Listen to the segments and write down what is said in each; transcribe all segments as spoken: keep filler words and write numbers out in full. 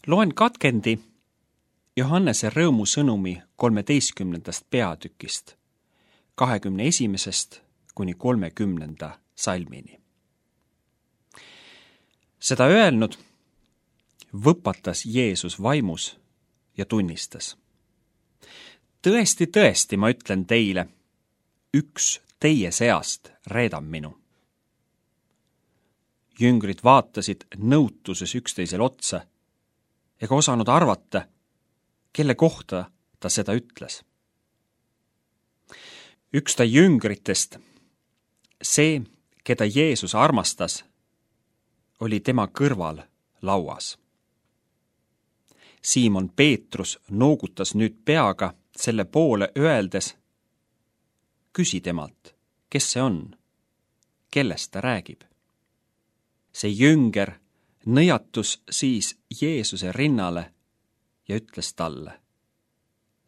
Loen katkendi Johannese rõõmusõnumi kolmeteistkümnendast peatükist, kahekümne esimesest kuni kolmekümnenda salmini. Seda öelnud, võpatas Jeesus vaimus ja tunnistas. Tõesti, tõesti, ma ütlen teile, üks teie seast reedab minu. Jüngrid vaatasid nõutuses üksteisel otsa ega osanud arvata, kelle kohta ta seda ütles. Üks ta jüngritest, see, keda Jeesus armastas, oli tema kõrval lauas. Siimon Peetrus noogutas nüüd peaga selle poole öeldes, küsi temalt, kes see on, kellest ta räägib. See jünger nõjatus siis Jeesuse rinnale ja ütles talle,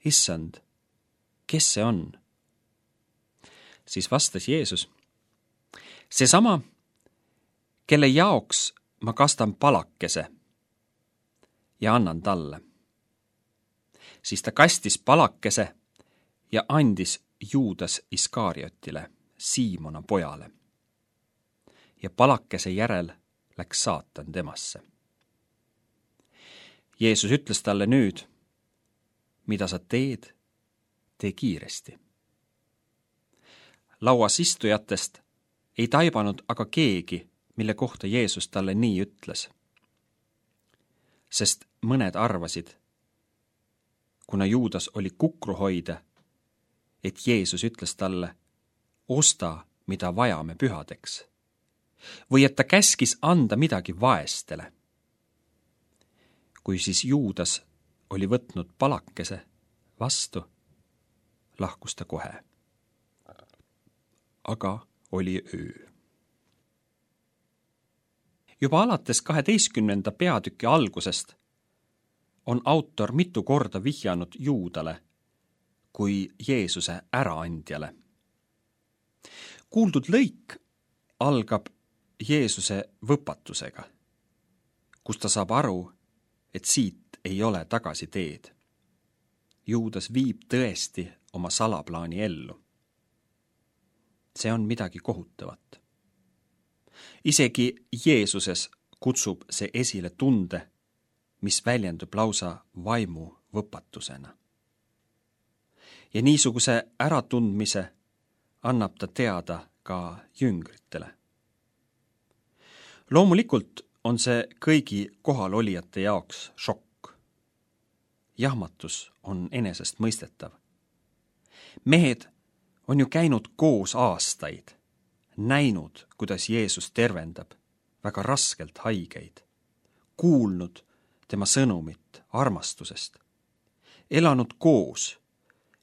issand, kes see on? Siis vastas Jeesus, seesama, kelle jaoks ma kastan palakese ja annan talle. Siis ta kastis palakese ja andis Juudas Iskariotile, Siimona pojale. Ja palakese järel läks saatan temasse. Jeesus ütles talle nüüd, mida sa teed, tee kiiresti. Lauas istujatest ei taibanud aga keegi, mille kohta Jeesus talle nii ütles. Sest mõned arvasid, kuna Juudas oli kukruhoida, et Jeesus ütles talle, osta, mida vajame pühadeks, või et ta käskis anda midagi vaestele. Kui siis Juudas oli võtnud palakese vastu, lahkus ta kohe. Aga oli öö. Juba alates kaheteistkümnenda peatüki algusest on autor mitu korda vihjanud Juudale kui Jeesuse äraandjale. Kuuldud lõik algab Jeesuse võpatusega, kus ta saab aru, et siit ei ole tagasi teed. Juudas viib tõesti oma salaplaani ellu. See on midagi kohutavat. Isegi Jeesuses kutsub see esile tunde, mis väljendub lausa vaimu võpatusena. Ja niisuguse äratundmise annab ta teada ka jüngritele. Loomulikult on see kõigi kohalolijate jaoks šokk. Jahmatus on enesest mõistetav. Mehed on ju käinud koos aastaid, näinud, kuidas Jeesus tervendab väga raskelt haigeid, kuulnud tema sõnumit armastusest, elanud koos,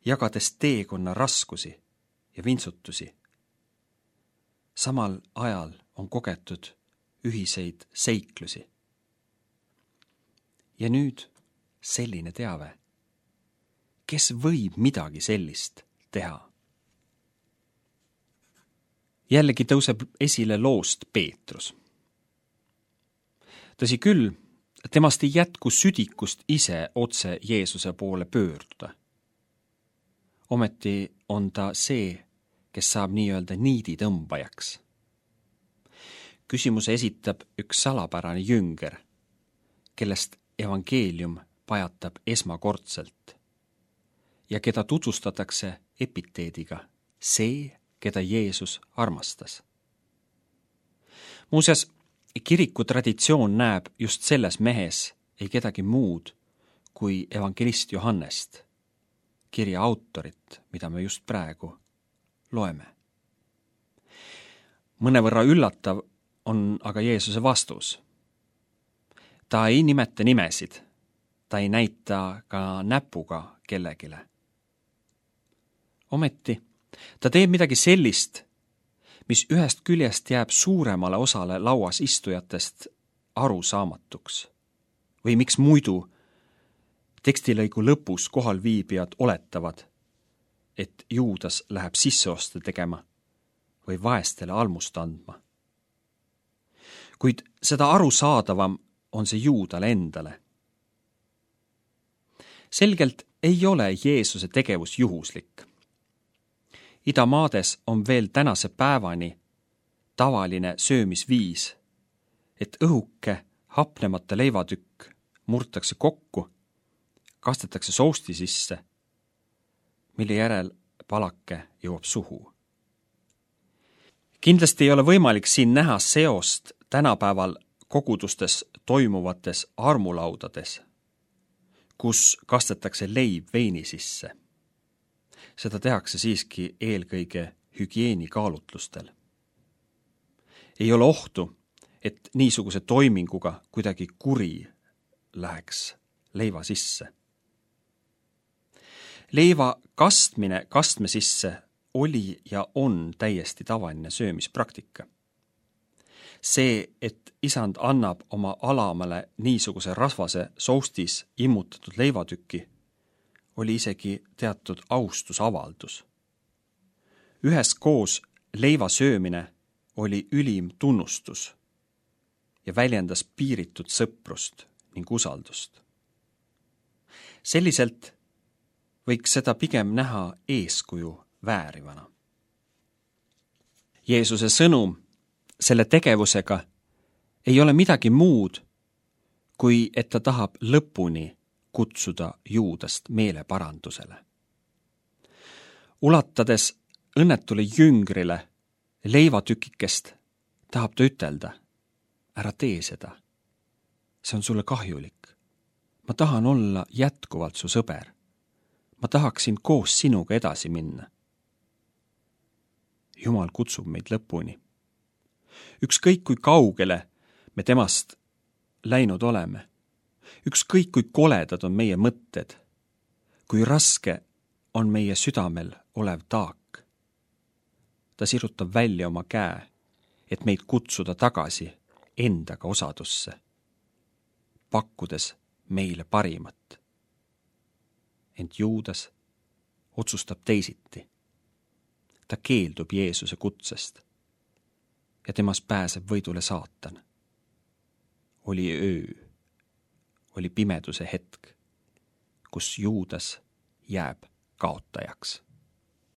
jagades teekonna raskusi ja vintsutusi. Samal ajal on kogetud ühiseid seiklusi. Ja nüüd selline teave. Kes võib midagi sellist teha? Jällegi tõuseb esile loost Peetrus. Tõsi küll, temast ei jätku südikust ise otse Jeesuse poole pöörduda. Ometi on ta see, kes saab nii-öelda niidi tõmbajaks. Küsimuse esitab üks salapärane jünger, kellest evangeelium pajatab esmakordselt ja keda tutvustatakse epiteediga see, keda Jeesus armastas. Muuseas, kiriku traditsioon näeb just selles mehes ei kedagi muud kui evangelist Johannest, kirja autorit, mida me just praegu loeme. Mõnevõrra üllatav on aga Jeesuse vastus. Ta ei nimeta nimesid, ta ei näita ka näpuga kellegile. Ometi ta teeb midagi sellist, mis ühest küljest jääb suuremale osale lauas istujatest arusaamatuks. Või miks muidu tekstilõigu lõpus kohal viibijad oletavad, et Juudas läheb sisseoste tegema või vaestele almust andma. Kuid seda arusaadavam on see Juudale endale, Selgelt ei ole Jeesuse tegevus juhuslik. Idamaades on veel tänase päevani tavaline söömisviis, et õhuke hapnemata leivatükk murtakse kokku, kastetakse sousti sisse, mille järel palake jõuab suhu. Kindlasti ei ole võimalik siin näha seost tänapäeval kogudustes toimuvates armulaudades, kus kastetakse leib veini sisse. Seda tehakse siiski eelkõige hügieenikaalutlustel. Ei ole ohtu, et niisuguse toiminguga kuidagi kuri läheks leiva sisse. Leiva kastmine kastme sisse oli ja on täiesti tavaline söömispraktika. See, et isand annab oma alamale niisuguse rasvase soustis immutatud leivatüki, oli isegi teatud austusavaldus. Üheskoos leiva söömine oli ülim tunnustus ja väljendas piiritud sõprust ning usaldust. Selliselt võiks seda pigem näha eeskuju väärivana. Jeesuse sõnum selle tegevusega ei ole midagi muud, kui et ta tahab lõpuni kutsuda Juudast meeleparandusele. Ulatades õnnetule jüngrile leivatükikest, tahab ta ütelda, ära tee seda. See on sulle kahjulik. Ma tahan olla jätkuvalt su sõber. Ma tahaksin koos sinuga edasi minna. Jumal kutsub meid lõpuni. Ükskõik kui kaugele me temast läinud oleme, ükskõik kui koledad on meie mõtted, kui raske on meie südamel olev taak. Ta sirutab välja oma käe, et meid kutsuda tagasi endaga osadusse, pakkudes meile parimat. Ent Juudas otsustab teisiti. Ta keeldub Jeesuse kutsest ja temas pääseb võidule saatan. Oli öö, oli pimeduse hetk, kus Juudas jääb kaotajaks.